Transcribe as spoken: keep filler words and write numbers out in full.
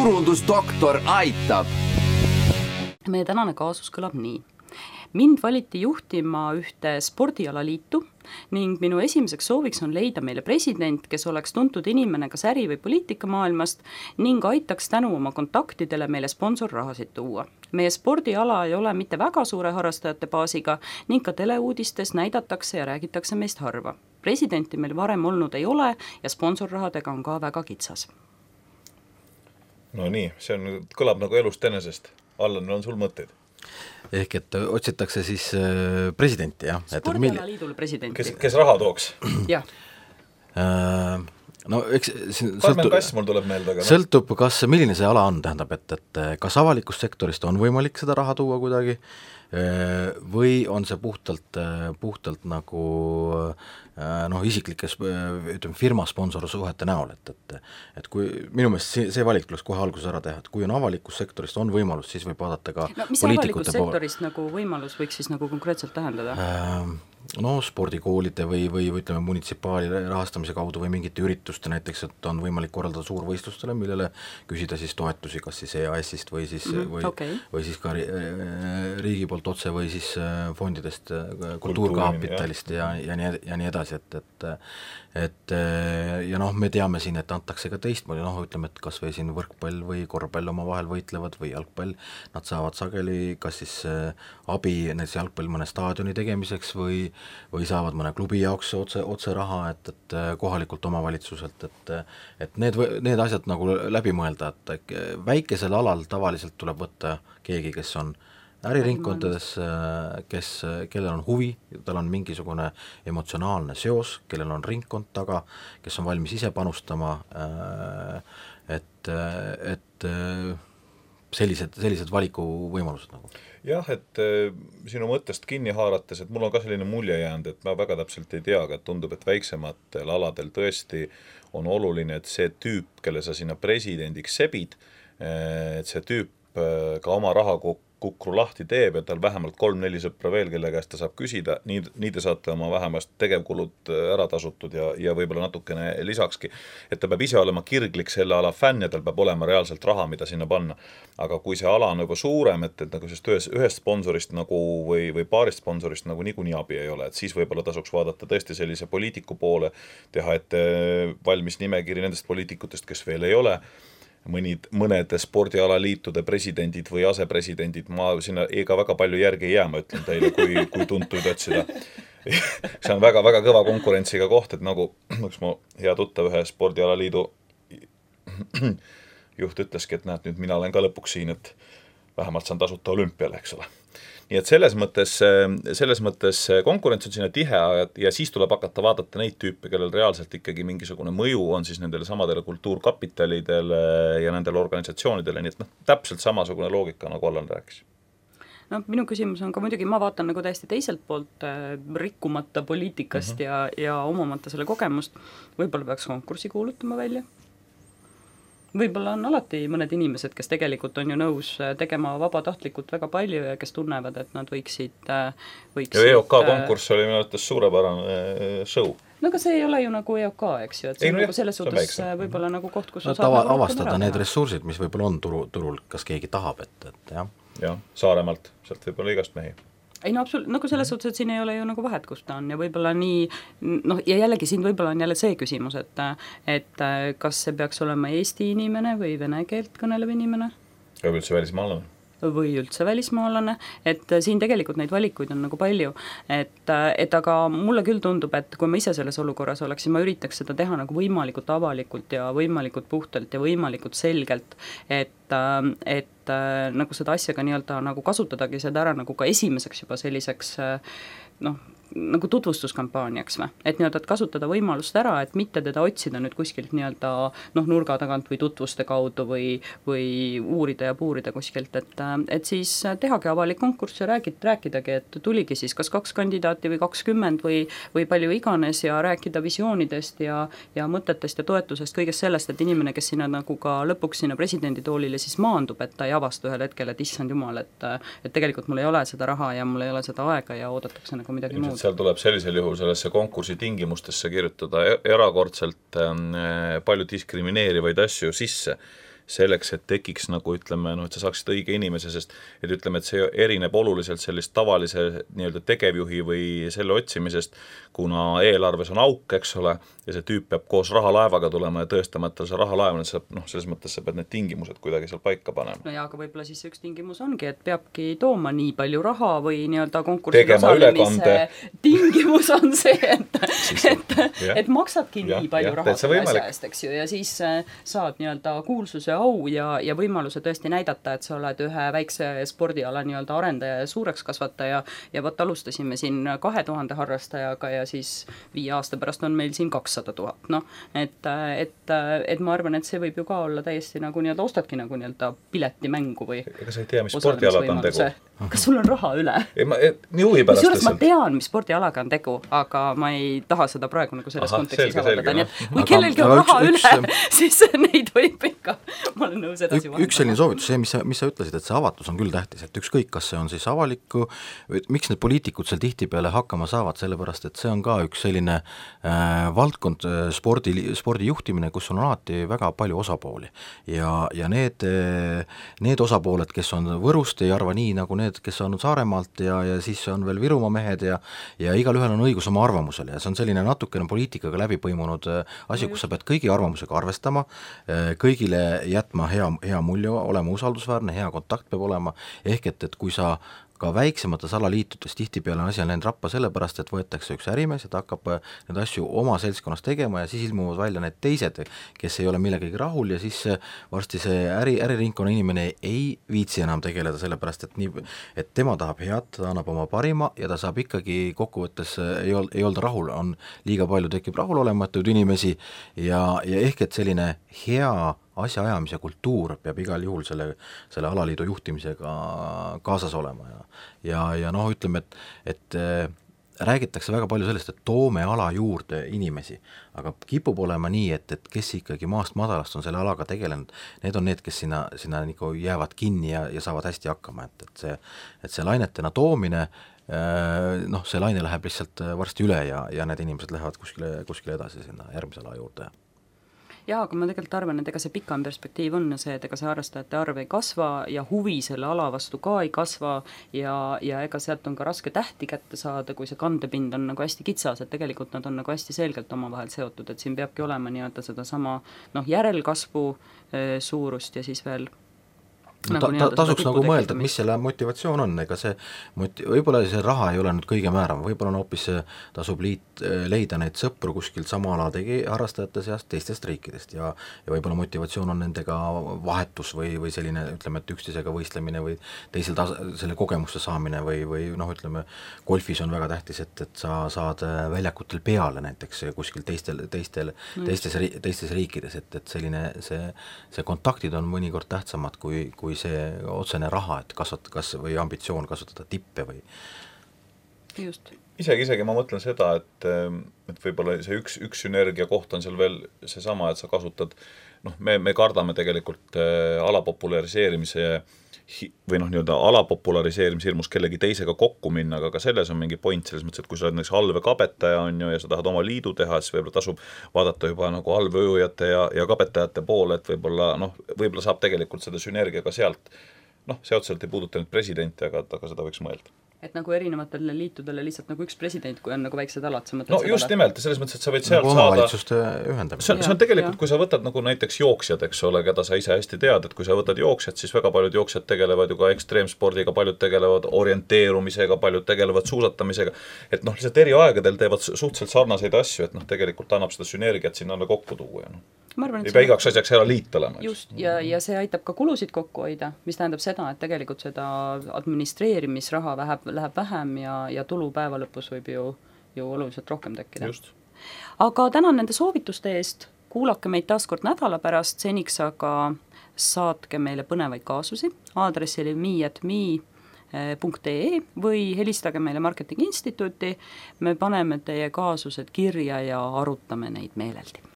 turundusdoktor aitab. Meie tänane kaasus kõlab nii. Mind valiti juhtima ühte spordialaliitu ning minu esimeseks sooviks on leida meile president, kes oleks tuntud inimene kas äri- või poliitikamaailmast ning aitaks tänu oma kontaktidele meile sponsorrahasid tuua. Meie spordiala ei ole mitte väga suure harrastajate baasiga ning ka teleuudistes näidatakse ja räägitakse meist harva. Presidenti meil varem olnud ei ole ja sponsorrahadega on ka väga kitsas. No nii, see on, kõlab nagu elust enesest. Allan, on sul mõtteid? Ehk et otsitakse siis presidenti, jah? Spordialaliidule presidenti. Kes, kes raha tooks? Jah. Äh, no eks Karmen Kass mul tuleb meelde, aga sõltub, kas, milline see ala on, tähendab, et, et kas avalikust sektorist on võimalik seda raha tuua kuidagi või on see puhtalt, puhtalt nagu noh, isiklikes ütleme, firma sponsorsuhete näol, et, et, et kui minu meelest see, see valik tuleks kohe alguses ära teha, et kui on avalikust sektorist on võimalus, siis võib vaadata ka no, mis avalikust sektorist nagu võimalus võiks siis nagu konkreetselt tähendada? Äh, no spordikoolide või, või ütleme munitsipaali rahastamise kaudu või mingite ürituste näiteks, et on võimalik korraldada suurvõistlustele, millele küsida siis toetusi, kas siis E A S-ist või siis, mm-hmm, või, okay. või siis ka riigi poolt otse või siis fondidest, kultuurkapitalist ja, ja, nii, ja nii edasi, et, et, et ja noh, me teame siin, et antakse ka teistmoodi, noh ütleme, et kas või siin võrkpall või korvpall oma vahel võitlevad või jalgpall, nad saavad sageli kas siis abi näiteks jalgpall mõne staadioni tegemiseks või, või saavad mõne klubi jaoks otse, otse raha, et, et kohalikult omavalitsuselt, et, et need, need asjad nagu läbi mõelda, et väikesel alal tavaliselt tuleb võtta keegi, kes on äriringkondades, kes, kellel on huvi, tal on mingisugune emotsionaalne seos, kellel on ringkond taga, kes on valmis ise panustama, et, et sellised, sellised valikuvõimalused nagu. Jah, et sinu mõttest kinni haarates, et mul on ka selline mulje jäänud, et ma väga täpselt ei tea, aga tundub, et väiksematel aladel tõesti on oluline, et see tüüp, kelle sa sinna presidendiks sebid, et see tüüp ka oma raha kukru lahti teeb ja tal vähemalt kolm-neli sõpra veel, kelle käest ta saab küsida, nii, nii te saate oma vähemast tegevkulud ära tasutud ja, ja võib-olla natukene lisakski, et ta peab ise olema kirglik selle ala fänn ja tal peab olema reaalselt raha, mida sinna panna. Aga kui see ala on juba suurem, et, et nagu sest ühest, ühest sponsorist nagu või, või paarist sponsorist nagu niikuinii abi ei ole, et siis võib-olla tasuks vaadata tõesti sellise poliitiku poole, teha ette valmis nimekiri nendest poliitikutest, kes veel ei ole, mõnid, mõned spordialaliitude presidendid või asepresidendid, ma sinna ega väga palju järgi ei jää, ma ütlen teile, kui, kui tuntuid otsida. See on väga, väga kõva konkurentsiga koht, et nagu üks mu hea tuttav ühe spordialaliidu juht ütleski, et näed, nüüd mina olen ka lõpuks siin, et vähemalt saan tasuta olümpiale, eks ole. Nii et selles mõttes, selles mõttes konkurents on sinna tihe ja siis tuleb hakata vaadata neid tüüpe, kellel reaalselt ikkagi mingisugune mõju on siis nendele samadele kultuurkapitalidele ja nendele organisatsioonidele, nii et noh, täpselt samasugune loogika, nagu Allan rääkis. No, minu küsimus on ka muidugi, ma vaatan nagu täiesti teiselt poolt äh, rikkumata poliitikast mm -hmm. ja, ja omamata selle kogemust, võib-olla peaks konkursi kuulutama välja. Võib-olla on alati mõned inimesed, kes tegelikult on ju nõus tegema vabatahtlikult väga palju ja kes tunnevad, et nad võiksid, võiksid ja E O K konkurss oli minu arvates suurepärane show. No aga see ei ole ju nagu E O K, eks ju, et see ei, on nagu selles suhtes võib-olla nagu koht, kus no, tava, avastada need ressursid, mis võib-olla on turu, turul, kas keegi tahab, et, et jah. Jah, Saaremaalt, sealt võib-olla igast mehi. Ei no absoluut, nagu selles suhtes, et siin ei ole ju nagu vahet, kus ta on ja võib-olla nii, noh ja jällegi siin võib-olla on jälle see küsimus, et, et kas see peaks olema Eesti inimene või vene keelt kõnelev inimene? Või üldse välismaalane? Või üldse välismaalane, et siin tegelikult neid valikuid on nagu palju, et, et aga mulle küll tundub, et kui ma ise selles olukorras oleksin, ma üritaks seda teha nagu võimalikult avalikult ja võimalikult puhtalt ja võimalikult selgelt, et, et nagu seda asja ka nii-öelda nagu kasutadagi seda ära nagu ka esimeseks juba selliseks noh, nagu tutvustuskampaaniaks või, et nii-öelda, et kasutada võimalust ära, et mitte teda otsida nüüd kuskilt nii-öelda noh, nurga tagant või tutvuste kaudu või, või uurida ja puurida kuskilt, et, et siis tehagi avalik konkurss ja räägid, rääkidagi, et tuligi siis kas kaks kandidaati või kakskümmend või, või palju iganes ja rääkida visioonidest ja, ja mõtetest ja toetusest, kõigest sellest, et inimene, kes sinna nagu ka lõpuks sinna presidenditoolile siis maandub, et ta ei avasta ühel hetkel, et issand jumal, et, et tegelikult mul ei ole seda raha ja mul ei ole seda aega ja oodatakse nagu midagi muud. Seal tuleb sellisel juhul sellesse konkursi tingimustesse kirjutada erakordselt palju diskrimineerivaid asju sisse, selleks, et tekiks nagu ütleme, noh, et sa saaksid õige inimese, sest et ütleme, et see erineb oluliselt sellist tavalise nii-öelda tegevjuhi või selle otsimisest, kuna eelarves on auk, eks ole, ja see tüüp peab koos rahalaevaga tulema ja tõestama, et tal see rahalaev on, et noh, selles mõttes sa pead need tingimused kuidagi seal paika panema. No jaa, aga võib-olla siis üks tingimus ongi, et peabki tooma nii palju raha või nii-öelda konkursil tegema ülekande. Tingimus on see, et, et, ja. et maksadki ja, nii palju ja, raha selle võimalik. asja eest, eks ju, ja siis saad nii-öelda kuulsuse au ja, ja võimaluse tõesti näidata, et sa oled ühe väikse spordiala nii-öelda arendaja ja suureks kasvataja ja võt alustasime siin kahe tuhande harrastajaga ja siis viie aasta pärast on meil siin kakssada tuhat, noh, et, et, et ma arvan, et see võib ju ka olla täiesti nagu nii-öelda ostadki nagu nii-öelda piletimängu või ega sa ei tea, mis spordialad on tegu. Kas sul on raha üle? Ei, ma, et, nii huvi pärast kusjuures ma tean, mis spordialaga on tegu, aga ma ei taha seda praegu nagu selles Aha, kontekstis avaldada, nii et kui kellelgi on raha üks, üle, üks, siis neid võib ikka, ma olen nõus edasi vahendada. Üks selline soovitus, see, mis sa, mis sa ütlesid, et see avatus on küll tähtis, et ükskõik, kas see on siis avaliku, miks need poliitikud seal tihtipeale hakkama saavad, sellepärast, et see on ka üks selline äh, valdkond spordi, spordi juhtimine, kus on alati väga palju osapooli ja, ja need, need osapooled, kes on Võrust, ei arva nii nagu need, kes on Saaremaalt ja, ja siis on veel Virumaa mehed ja, ja igalühel on õigus oma arvamusele ja see on selline natukene poliitikaga läbi põimunud asi, kus sa pead kõigi arvamusega arvestama, kõigile jätma hea, hea mulje, olema usaldusväärne, hea kontakt peab olema, ehk et, et kui sa ka väiksemates alaliitudes tihtipeale on asi on läinud rappa sellepärast, et võetakse üks ärimees ja ta hakkab need asju oma seltskonnas tegema ja siis ilmuvad välja need teised, kes ei ole millegagi rahul ja siis varsti see äri, äriringkonna inimene ei viitsi enam tegeleda sellepärast, et nii, et tema tahab head, ta annab oma parima ja ta saab ikkagi kokkuvõttes ei, ol, ei olda rahul, on liiga palju tekib rahulolematuid inimesi ja, ja ehk et selline hea asjaajamise kultuur peab igal juhul selle, selle alaliidu juhtimisega kaasas olema ja, ja, ja noh, ütleme, et, et äh, räägitakse väga palju sellest, et toome ala juurde inimesi, aga kipub olema nii, et, et kes ikkagi maast madalast on selle alaga tegelenud, need on need, kes sinna, sinna nagu jäävad kinni ja, ja saavad hästi hakkama, et, et see, et see lainetena toomine äh, noh, see laine läheb lihtsalt varsti üle ja, ja need inimesed lähevad kuskile, kuskile edasi sinna järgmise ala juurde. Jaa, aga ma tegelikult arvan, et ega see pikam perspektiiv on see, et ega see harrastajate arv ei kasva ja huvi selle ala vastu ka ei kasva ja, ja ega sealt on ka raske tähti kätte saada, kui see kandepind on nagu hästi kitsas, et tegelikult nad on nagu hästi selgelt omavahel seotud, et siin peabki olema nii-öelda seda sama noh, järelkasvu e, suurust ja siis veel No, ta, ta, tasuks nagu mõelda, et mis selle motivatsioon on, ega see moti-, võib-olla see raha ei ole nüüd kõige määrav, võib-olla on hoopis tasub liit, leida neid sõpru kuskilt sama ala tegi harrastajate seast teistest riikidest ja, ja võib-olla motivatsioon on nendega vahetus või, või selline, ütleme, et üksteisega võistlemine või teisel tas-, selle kogemuste saamine või, või noh, ütleme, golfis on väga tähtis, et, et sa saad väljakutel peale näiteks kuskil teistel, teistel, teistes, teistes riikides, et, et selline, see, see kontaktid on mõnikord tähtsamad kui, kui see otsene raha, et kasvata, kas või ambitsioon kasvatada tippe või just. Isegi, isegi ma mõtlen seda, et, et võib-olla see üks, üks sünergia koht on seal veel seesama, et sa kasutad, noh, me, me kardame tegelikult äh, alapopulariseerimise või noh, nii-öelda alapopulariseerimise hirmus kellegi teisega kokku minna, aga ka selles on mingi point selles mõttes, et kui sa oled näiteks allveekapetaja on ju ja sa tahad oma liidu teha, siis võib-olla tasub vaadata juba nagu allveeujujate ja, ja kapetajate poole, et võib-olla noh, võib-olla saab tegelikult seda sünergia ka sealt, noh, see otseselt ei puuduta nüüd presidenti, aga, aga seda võiks mõelda. Et nagu erinevatele liitudele lihtsalt nagu üks president, kui on nagu väiksed alad, sa mõtled no just alad. nimelt, selles mõttes, et sa võid sealt nagu saada ühendamine. See on, see on tegelikult, kui sa võtad nagu näiteks jooksjad, eks ole, keda sa ise hästi tead, et kui sa võtad jooksjad, siis väga paljud jooksjad tegelevad ju ka ekstreemspordiga, paljud tegelevad orienteerumisega, paljud tegelevad suusatamisega, et noh, lihtsalt eri aegadel teevad suhteliselt sarnaseid asju, et noh, tegelikult annab seda sünergiat sinna kokku tuua ja noh. Arvan, ei pea igaks asjaks ära liit olema. Just, ja, ja see aitab ka kulusid kokku hoida, mis tähendab seda, et tegelikult seda administreerimisraha läheb, läheb vähem ja, ja tulu päeva lõpus võib ju, ju oluliselt rohkem tekkida. Just. Aga tänan nende soovituste eest, kuulake meid taas kord nädala pärast, seniks aga saatke meile põnevaid kaasusi aadressile me at me punkt ee või helistage meile Marketingi Instituuti, me paneme teie kaasused kirja ja arutame neid meeleldi.